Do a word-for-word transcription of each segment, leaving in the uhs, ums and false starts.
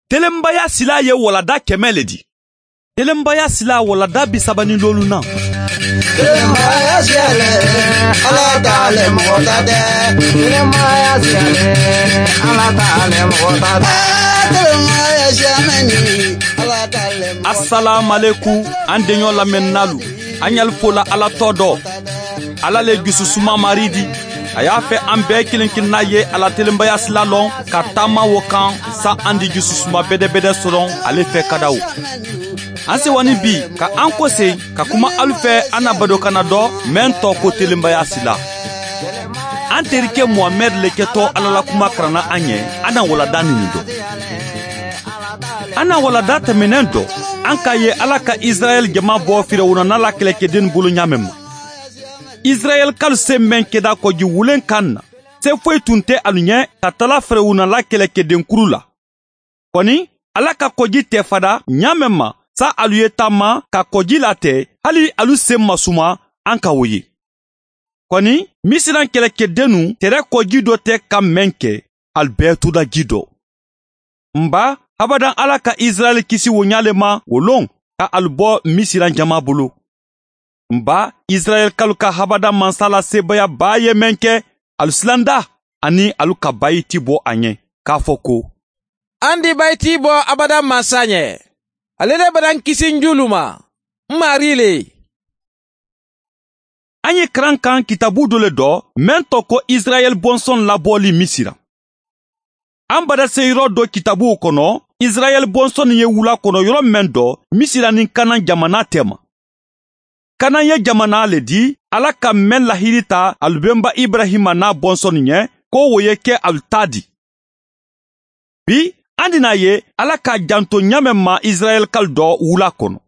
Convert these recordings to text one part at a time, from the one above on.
Telenbaya silaa ye walanda kɛmɛ le di. Telenbaya silaa walanda bi saba ni loolu na. Telenbaya silaa le, ala ta le mɔgɔ ta tɛ. Telenbaya silaa le, ala ta le mɔgɔ ta tɛ. Telenbaya silaa mɛnni, ala ta le mɔgɔ ta tɛ. Asalaamalekum, an deɲɔ lamɛnnaalu. An ɲali fola ala tɔ dɔ. Ala le jususuma mari di. A y'a fɛ an bɛɛ kelen kelenna ye a la telenbaya sila lɔn ka taama wo kan. Sa an di jususuma bɛdɛbɛdɛ sɔrɔ ale fɛ kadaw. An sewani bi ka an kose ka kuma alu fɛ an na badokanna dɔ mɛn tɔ ko telenbaya sila. An terike muhamɛd le kɛtɔ ala la kuma karanna an ɲɛ. An na walada nini dɔ. An na walada tɛmɛnen dɔ, an k'a ye ala ka israɛl jama bɔ firawuna n'a la kɛlɛkɛden bolo ɲaamɛ ma. Israɛl kalu se mɛn kɛda kɔji wulen kan na, se foyi tun tɛ alu ɲɛ ka tala firawuna la kɛlɛkɛden kuru la. Kɔni, ala ka kɔji tɛ fada ɲaamɛ ma, sa alu ye taama ka kɔji latɛ, hali alu se masuma an ka wo ye. Kɔni, misiran kɛlɛkɛdennu tɛrɛ kɔji dɔ tɛ ka mɛn kɛ, alu bɛɛ tuda ji dɔ. N ba, abadan ala ka israɛl kisi wo ɲa le ma wo lon ka alu bɔ misiran jama bolo. N ba, israɛl kalu ka abadan mansa la sebaaya baa ye mɛn kɛ, alu silanda, ani alu ka bayiti bɔ a ɲɛ k'a fɔ ko, an di bayiti bɔ abadan mansa ɲɛ. Ale le badan kisi n juulu ma. N mari le. An ye karan kan kitabu dɔ le dɔ, mɛn tɔ ko israɛl bɔnsɔn labɔli misira. An badaseyɔrɔ dɔ kitabuw kɔnɔ, israɛl bɔnsɔn ye wula kɔnɔ yɔrɔ mɛn dɔ, misira ni kanan jamana tɛ ma. Kanan ye jamana le di ala ka mɛn lahiri ta alubenba ibrahima n'a bɔnsɔn ɲɛ, ko wo ye kɛ alu ta di. Bi, an dina ye ala k'a janto ɲaamɛ ma israɛl kali dɔ wula kɔnɔ.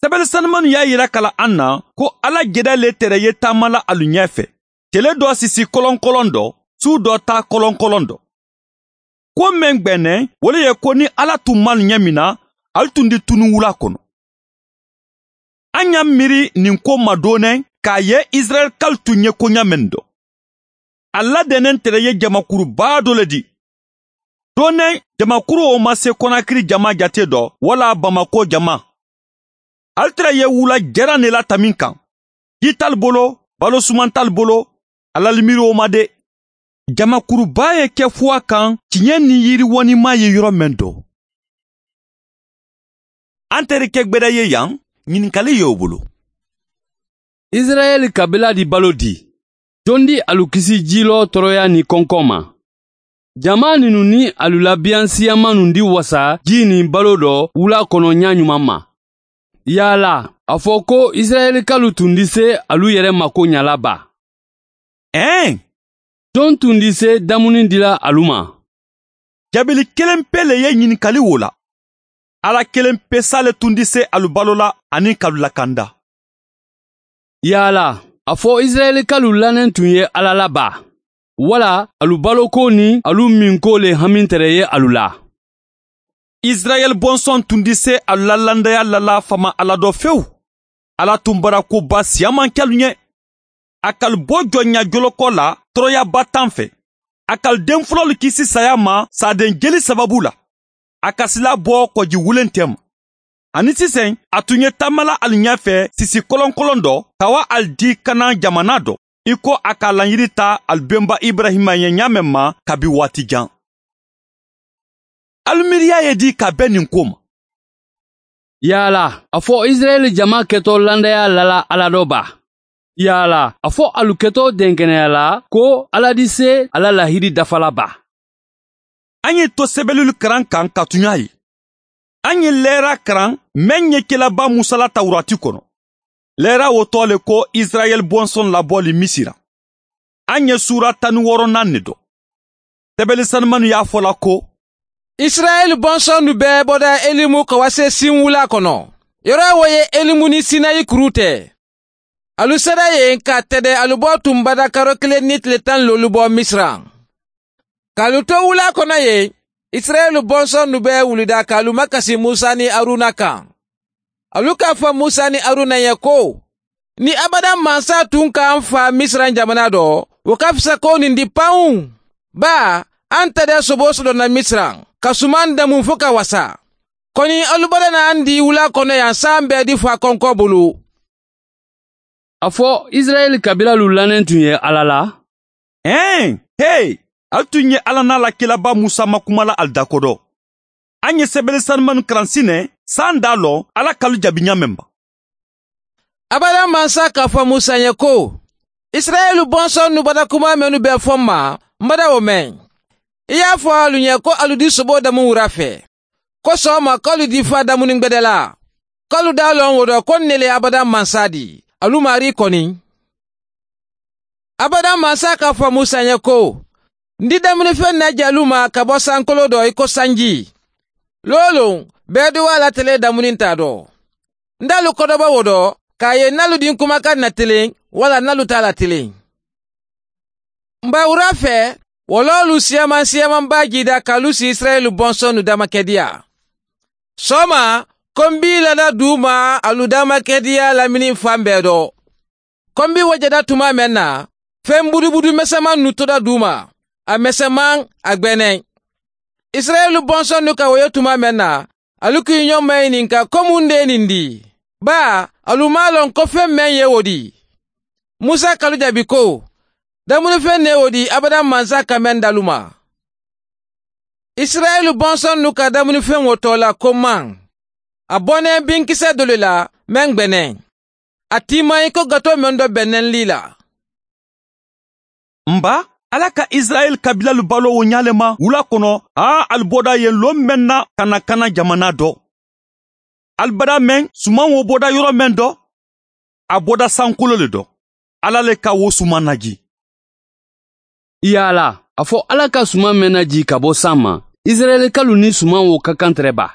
Sɛbɛn sanumanu y'a yira ka la an na ko ala jeda le tɛrɛ ye taama la alu ɲɛ fɛ, tele dɔ sisi kɔlɔnkɔlɔn dɔ, su dɔ ta kɔlɔnkɔlɔn dɔ. Ko mɛn gbɛnɛ, wo le ye ko ni ala tun ma alu ɲɛ min na, alu tun di tunun wula kɔnɔ. An y'a miiri nin ko ma doonɛ k'a ye israɛl kalu tun ye koɲa mɛn dɔ. A ladɛnnen tɛrɛ ye jamakuru baa dɔ le di. Doonɛ, jamakuru wo ma se kɔnakiri jama jate dɔ wala bamako jama. Ali tɛrɛ ye wula jɛran ne la tamin kan. Ji t'alu bolo, balo suman t'alu bolo. A lalimiiri wo ma de. Jamakuru baa ye kɛ fuwa kan, tiɲɛ ni yiriwɔnimaa ye yɔrɔ mɛn dɔ. An terikɛ gbɛda ye yan, ɲininkali y'o bolo. Israɛl kabila di balo di? Jon di alu kisi jilɔ tɔɔrɔya ni kɔnkɔn ma? Jama ninnu ni alu la biyansiyamannu di wasa ji ni balo dɔ wula kɔnɔ ɲa ɲuman ma. Yaala, a fɔ ko israɛl kalu tun di se alu yɛrɛ mako ɲa la ba? Ɛɛn. Jon tun di se damuni dila alu ma? Jaabili kelen pe le ye ɲininkali wo la. Ala kelen pe sa le tun di se alu balo la ani ka alu lakanda. Yaala, a fɔ israɛl kalu lannen tun ye ala la ba? Wala alu baloko ni alu minko le hamintere ye alu la? Israɛl bɔnsɔn tun di se alu la landaya lala fama ala dɔ fewu. Ala tun bara ko ba siya man kɛ alu ɲɛ. A ka alu bo jɔnya jolokɔ la tɔɔrɔyaba tan fɛ. A ka alu den fɔlɔlu kisi saya ma saaden jeli sababu la. A ka sila bɔ kɔji wulen tɛ ma. Ani sisan a tun ye taama la alu ɲɛfɛ sisi kɔlɔnkɔlɔn dɔ ka wa alu di kanan jamana dɔ, i ko a ka a laɲini ta alu benba ibrahima ye ɲaamɛ ma kabi waati jan. Alu miiriya ye di ka bɛn nin ko ma? Yaala, a fɔ israɛl jama kɛtɔ landaya lala ala dɔ ba? Yaala, a fɔ alu kɛtɔ dɛnkɛnɛya la ko ala di se ala lahiri dafala ba? An ye to sɛbɛlulu karan kan ka tuɲa ye. An ye lɛra karan mɛn ye kelaba musa la tawurati kɔnɔ. Lɛra wo tɔ le ko israɛl bɔnsɔn labɔli misira. An ye sura tan ni wɔɔrɔnan ne dɔn. Sɛbɛli sanumanu y'a fɔ la ko, israɛl bɔnsɔnnu bɛɛ bɔda elimu ka wase sin wula kɔnɔ. Yɔrɔ wo ye elimu ni sinayi kuru tɛ. Alu sera yen ka tɛdɛ alu bɔ tun bada karo kelen ni tile tan lolu bɔ misira. K'alu to wula kɔnɔ yen, israɛl bɔnsɔnnu bɛɛ wulida k'alu makasi musa ni aruna kan. Alu k'a fɔ musa ni aruna ye ko, ni abada mansa tun k'an fa misira jamana dɔ, o ka fisa ko nin di panw. Baa, an tɛ dɛ sobo sodonna misira. ka sumaŋ damuŋ fo ka wasa. Koni alu bada na aŋ dii wulaa kono yaŋ saaŋ beedi faa konkoo bulu. A fo isirayeli kabilalu laneŋ tuŋ ye alla la. Hee, hee, alu tuŋ ye alla naa la kilabaa musa ma kuma la alu dakodo. Aŋ ye sebele sanumanu karansi ne saaŋ daa loŋ alla ka alu jabi ñaameŋ ba? Abadaŋ mansa ka a fo musa ye ko, isirayeli bonsonnu bada kuma mennu be fo m ma, m bada wo meŋ. I ye a fo alu ñe ko alu di soboo damuŋ wura fee, ko sooma ko alu di faa damuni gbedela, ko alu daa loŋ wo do ko n ne le ye abadaŋ mansa di, alu maarii koni. Abadaŋ mansa ka a fo musa ye ko, n di damuni feŋ na je alu ma ka bo sankoloo do i ko sanji. Looluŋ, beeduwaa la tele damuni nte a do. N da alu kodobo wo do ka a ye n na alu diŋ kumakaŋ na tiliŋ walla n na alu taa la tiliŋ. M ba wura fee, wo loolu siyamaŋ siyamaŋ baa jiida ka alu si isirayeli bonsonnu damakediyaa. Sooma, kombii lada duuma alu damakediyaa laminiŋ faŋ bee do. Kombi wo jada tumaa meŋ na, feŋ budubudu mesemaŋ nu toda duuma, a mesemaŋ, a gbeneŋ. Isirayeli bonsonnu ka wo ye tumaa meŋ na, alu ka i ñoŋ mayininka ko muŋ de ye niŋ dii? Baa alu maŋ a loŋ ko feŋ meŋ ye wo dii? Musa ka alu jabi ko, damuni feŋ ne wo dii abadaŋ mansa ka meŋ da alu ma. Isirayeli bonsonnu ka damuni feŋ wo too la ko maŋ, a boneŋ binkise dolu la meŋ gbeneŋ. A tiimayi ko gatoo meŋ do beneŋ lii la. M ba, alla ka isirayeli kabilalu baloo wo ñaa le ma wula kono haa ali boda yen loŋ meŋ na ka na kana jamanaa do. Ali bada meŋ sumaŋ wo boda yoro meŋ do, a boda sankoloo le do. Alla le ka wo sumaŋ najii. Yaala, a fo alla ka sumaŋ meŋ najii ka bo saŋ ma, isirayeli kalu niŋ sumaŋ wo ka kaŋ tere baa?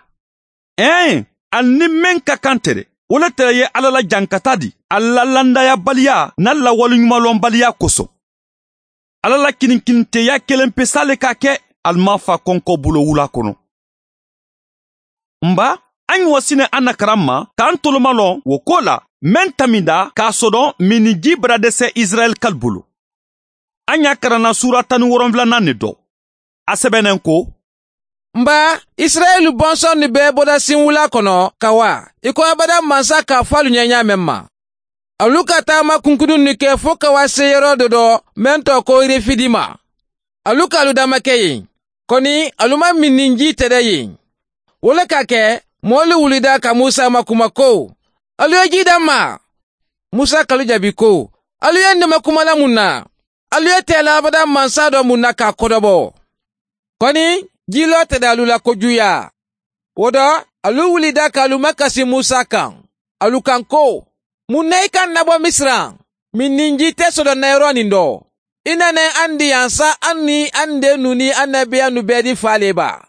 Ee, ali niŋ meŋ ka kaŋ tere, wo le tere ye alla la jankataa di, ali la landayaabaliyaa niŋ ali la waliñumalonbaliyaa koso. Alla la kininkiniteeyaa kelempesaa le ka a ke ali maŋ faa konkoo buloo wulaa kono. M ba, a ñiŋ wo si ne a nakaraŋ ma ka a ntoloma loŋ wo koo la meŋ taminda ka a sodoŋ miŋ niŋ jii bada dese isirayeli kalu bulu. A ñaa karanna suura taŋ niŋ woronwula naŋ ne do. A sebeneŋ ko, m ba, isirayeli bonsonnu be bodasiŋ wulaa kono ka waa i ko abadaŋ mansa ka a fo alu ñeeñaa meŋ ma. Alu ka taama kunkudunnu ke fo ka waa seeyeroo dodo meŋ to ko refidima. Alu ka alu damake yen, koni alu maŋ miŋ niŋ jii tede yen. Wo le ka a ke moolu wulida ka musa ma kuma ko, alu ye jii damma? Musa ka alu jabi ko, alu ye n dema kuma la muŋ na? Alu ye teela abadaŋ mansa do muŋ na ka a kodobo? Koni jii loo tede alu la kojuuyaa. Wo do, alu wulida ka alu makasi musa kaŋ, alu kaŋ ko, muŋ na i kaŋ na bo misira miŋ niŋ jii te sodoŋ na yeroo niŋ do? I na ne aŋ di yaŋ sa aŋ niŋ aŋ deennu niŋ annabiyannu beedi faalee baa.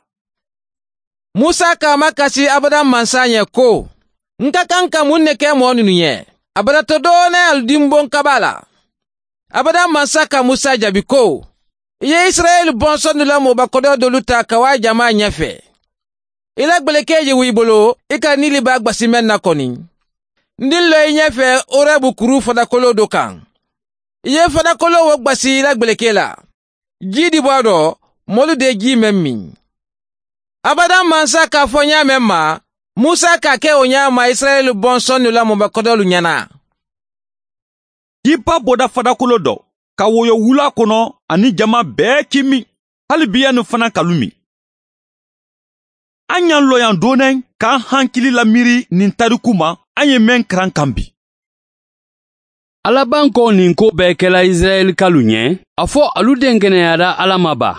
Musa ka a makasi abadaŋ mansa ñe ko, n ka kaŋ ka muŋ ne ke moo mennu ñe? A bada to doo ne alu dimboŋ kabaa la. Abadaŋ mansa ka musa jabi ko, i ye isirayeli bonsonnu la moo bakodoo doolu taa ka waa jamaa ñefe. I la gbelekee je wo i bolo i ka niili baa gbasi meŋ na koni. N diŋ loo i ñefe orebu kuruu fadakoloo do kaŋ. I ye fadakoloo wo gbasi i la gbelekee la. Jii dibaa do, moolu de jii meŋ miŋ. Abadaŋ mansa ka a fo ñaameŋ ma, musa ka a ke wo ñaama isirayeli bonsonnu la moo bakodoolu ñana. Jii baa boda fadakoloo do ka woyo wulaa kono, aniŋ jamaa bee kiimi, hali biyaani fanaa ka lumi. A ñaŋ looyaŋ dooneŋ ka a hankili lamiiri niŋ tariku ma a ye meŋ karaŋ kaŋ bi. Alla bankoo niŋ koo bee kela isirayeli kalu ñe. A fo alu denkeneyaata alla ma baa?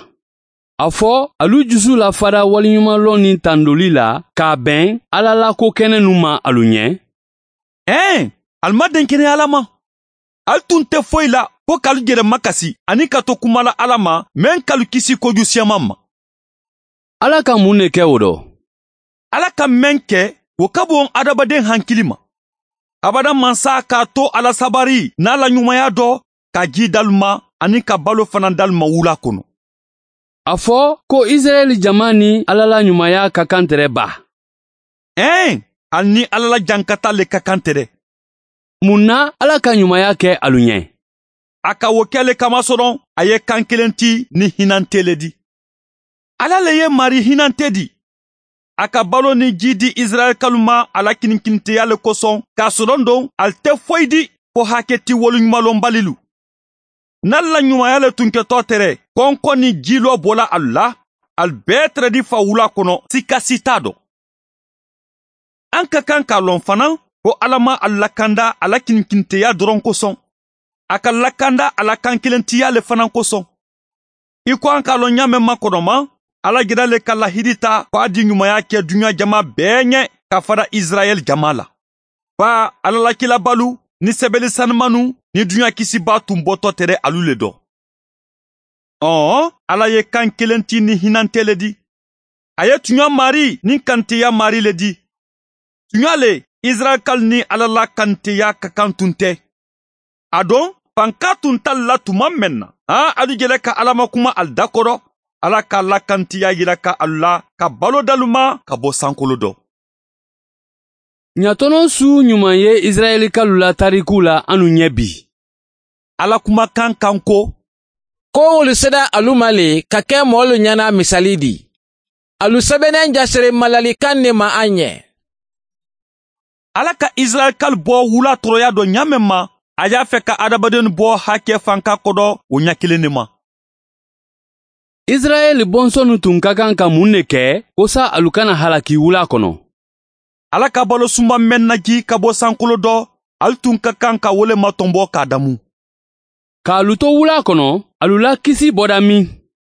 A fo alu jusu la fada waliñumaloo niŋ tandoli la ka a beŋ alla la ko kenennu ma alu ñe? Ee, ali maŋ denkeneyaa alla ma. Ali tun te foyi la fo ka alu jere makasi aniŋ ka to kuma la alla ma meŋ ka alu kisi koju siyamaŋ ma. Alla ka muŋ ne ke wo do? Alla ka meŋ ke, wo ka boŋ hadamadeŋ hankili ma. Abadaŋ mansa ka a to a la sabari niŋ a la ñumayaa do ka jii dalu ma aniŋ ka baloo fanaa dalu ma wulaa kono. A fo ko isirayeli jamaa niŋ alla la ñumayaa ka kaŋ tere baa. Ee, ali niŋ alla la jankataa le ka kaŋ tere. Muŋ na alla ka ñumayaa ke alu ñe? A ka wo ke le kamasoroŋ a ye kankilenti niŋ hinantee le di. Alla le ye maarii hinante di. A ka baloo niŋ jii dii isirayila kalu ma a la kinikiniteyaa le kosoŋ ka a sodoŋ doŋ ali te foyi dii fo hake ti wolu ɲumalonbalilu. Niŋ ali la ɲumaayaa le tunketoo tere konko niŋ jiiloo bola alu la, ali bee tere di fa wulaa kono sika sitaa do. An ka kaŋ ka a loŋ fanaa ko alla maŋ ali lakanda a la kinikiniteyaa doroŋ kosoŋ. A ka lakanda a la kankilantiyaa le fanaa kosoŋ. I ko an ka a loŋ ñaameŋ ma konomaŋ, alla jira le ka lahidi taa ko a di ɲumaayaa ke duɲaa jamaa bee ñe ka fara isirayila jamaa la. Baa, alla la kiilabaalu niŋ sebelisanimannu niŋ duɲaa kisibaa tun boto tere alu le do. Ɔɔ, alla ye kaŋ kiliŋ ti niŋ hinante le di. A ye tuɲaa maarii niŋ kaniteyaa maarii le di. Tuɲaa le, isirayila kalu niŋ alla la kaniteyaa ka kaŋ tun te. A doŋ, fankaa tun ta ali la tuma meŋ na, haa alu je le ka alla makuma ali da koto. Alla ka alla la kaniteyaa yila ka alu la ka baloo dalu ma ka bo sankoloo do. Ɲatono suu ɲuman ye isirayila kalu la tariku la anu ɲɛ bi. Alla kumakan kan ko, ko wolu seda alu ma le ka ke moolu ɲana misali di. Alu sebeneŋ jasere malali kaŋ ne ma a ɲɛ. Alla ka isirayila kalu bo wulaa toroyaa do ɲaameŋ ma, a ye a fe ka adamadenw bo hake fanka kodo wo ɲa kiliŋ ne ma. Isirayila bonsonnu tun ka kaŋ ka muŋ ne ke? Kosa alu kana halaki wulaa kono. Alla ka baloo suma meŋ na jii ka bo sankoloo do, alu tun ka kaŋ ka wo le matonbo ka a damu. Ka alu to wulaa kono, alu la kisi boda miŋ?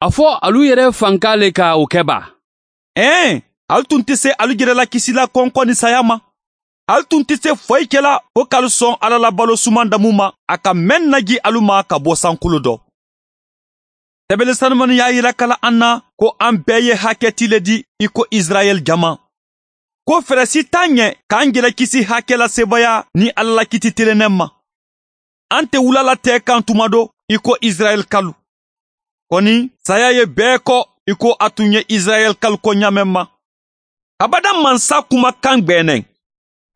A fo alu yere fanka le ka wo ke baa? Ee, alu tun te se alu yere la kisi la konko niŋ saayaa ma. Alu tun te se foyi ke la fo ka alu soŋ alla la baloo sumaŋ damu ma a ka meŋ na jii alu ma ka bo sankoloo do. Sebelisanimannu ye a yira kala an na ko an bee ye hake ti le di i ko isirayila jama. Ko fere si taa ɲe ka an jele kisi hake la sebaaya niŋ alla la kiti tilenneŋ ma. An te wula la tee kaŋ tuma do i ko isirayila kalu. Koni saayaa ye bee ko i ko a tun ye isirayila kalu ko ɲaameŋ ma. Abadaŋ maŋ sa kuma kaŋ gbeeneŋ.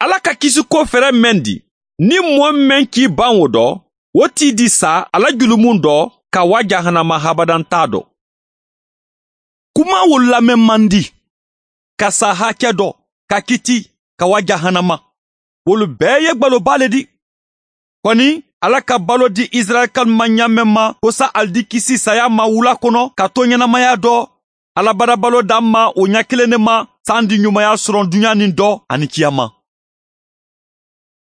Alla ka kisi ko fere meŋ di, niŋ moo meŋ kii baŋ wo do, wo tii di sa a la julumun do ka waa jahanama habadaŋ taa do. Kuma wolu lameŋ maŋ di. Ka saa hake do, ka kiti, ka waa jahanama, wolu bee ye gbaloo baa le di. Koni alla ka baloo di isirayila kalu ma ɲaameŋ ma kosa ali di kisi saayaa ma wulaa kono ka to ɲenamaya do. Alla barabaloo daŋ ma wo ɲa kiliŋ ne ma sandi ɲumaya soroŋ duɲaa niŋ do aniŋ kiyaama.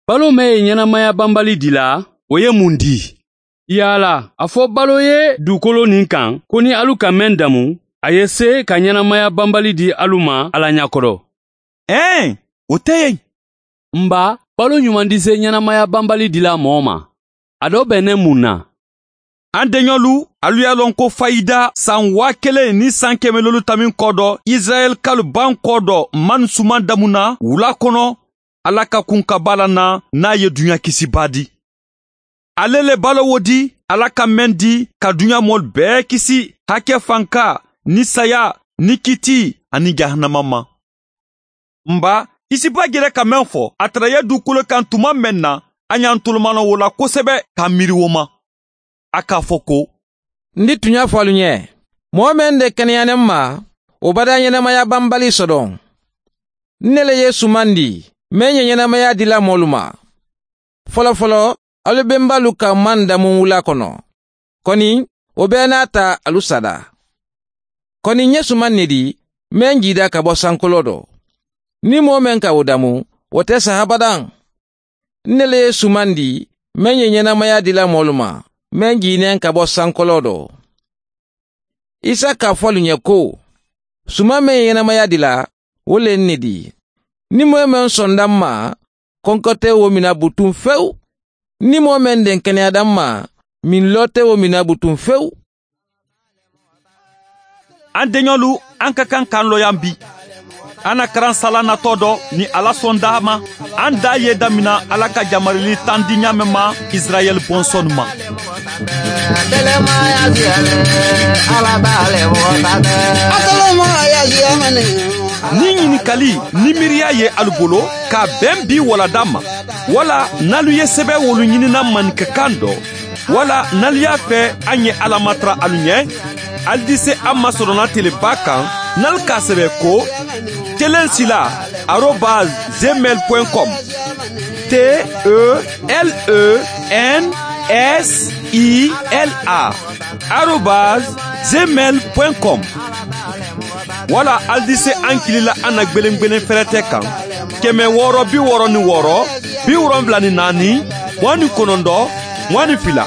Baloo meŋ ye ɲenamaya banbali dila, wo ye muŋ di? Yaala a fo baloo ye duukolo niŋ kaŋ ko niŋ alu ka meŋ damu, a ye see ka ɲenamaya banbali di alu ma alla ɲakoto? Ee, wo te yen. M ba, baloo ɲumandise ɲenamaya banbali dila moo ma. A do be ne muŋ na? An deɲolu, alu ye a loŋ ko fayida san waa keleŋ niŋ san keme loolu tamiŋ ko do isirayila kalu bankoo do man sumaŋ damu na wulaa kono. Alla ka kunkabaa la na niŋ a ye duɲaa kisi baa di. Ale le baloo wo di alla ka meŋ di ka duɲaa moolu bee kisi, hake fanka, niŋ saayaa, niŋ kitii, aniŋ jahanama ma. M ba, i si baa je le ka meŋ fo a tara i ye duukolo kaŋ tuma meŋ na, a ñantolu maŋ loŋ wo la kosebe ka a miiri wo ma. A ka a fo ko, n di tuña fo alu ñe, moo meŋ de keneyaneŋ ma, wo badaa ñenemaya banbali sodoŋ. N ne le ye sumandi, meŋ ye ñenemaya dila moolu ma. Folofoloo, alu bembaalu ka maŋ damuŋ wulaa kono. Koni, wo bee naata alu sada. Koni n ye sumaŋ ne di, meŋ jiida ka bo sankoloo do. Niŋ moo meŋ ka wo damu, wo te saha badaŋ. N ne le ye sumandi, meŋ ye ñenemaya dila moolu ma, meŋ jiineŋ ka bo sankoloo do. Isa ka a fo alu ñe ko, sumaŋ meŋ ye ñenemaya dila, wo le n ne di. Niŋ moo ye meŋ sonda n ma, konko te wo mina butuŋ fewu. Niŋ moo meŋ denkeneyaata n ma, minloo te wo mina butuŋ fewu. An deñolu, an ka kaŋ ka an loyaŋ bi. An na karaŋ sala natoo do niŋ alla sondaa ma. An daa ye damina alla ka jamarili tandi ñaameŋ ma, isirayeli bonsonu ma. Niŋ ñinikali niŋ miiriya ye alu bolo, ka a beŋ bii wala damma, wala niŋ alu ye sebewoolu ñinina maninka kaŋ do, wala niŋ alu ye a fee a ñe alla matara alu ñe, Ali di se an ma sorona telebaa kaŋ, n'ali ka a sebe ko, telen sila, arobaz, zemel point com. T e l e n s i l a, arobaz, zemel point com. Wala ali di se an kili la an na gbelengbelen ferete kaŋ, keme wooro bi wooro ni wooro, bi wolonwula ni naani, muwaŋ ni konondoo, muwaŋ ni fila.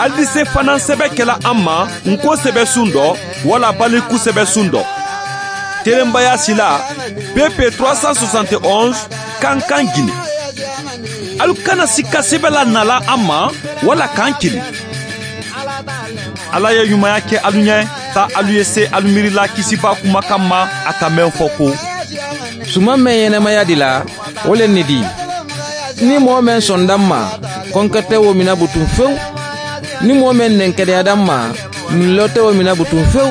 Ali di se fanaŋ sebe kela an ma, n ko sebe sundo, wala baliku sebe sundo. Telenbaya sila, pepe trois cent soixante et onze, kankan gine. Ali kana sika sebe la nala an ma, wala kan kili. Ala ye ɲumaya ke alu ɲe, ta alu ye se alu miiri la kisiba kuma kamma, a ka men fo ko, suma men yenemaya di la, wo le ni di, ni moo men sonda ma, konkete wo mina butun few, ni moo men nenkedeya da ma, min lote wo mina butun few.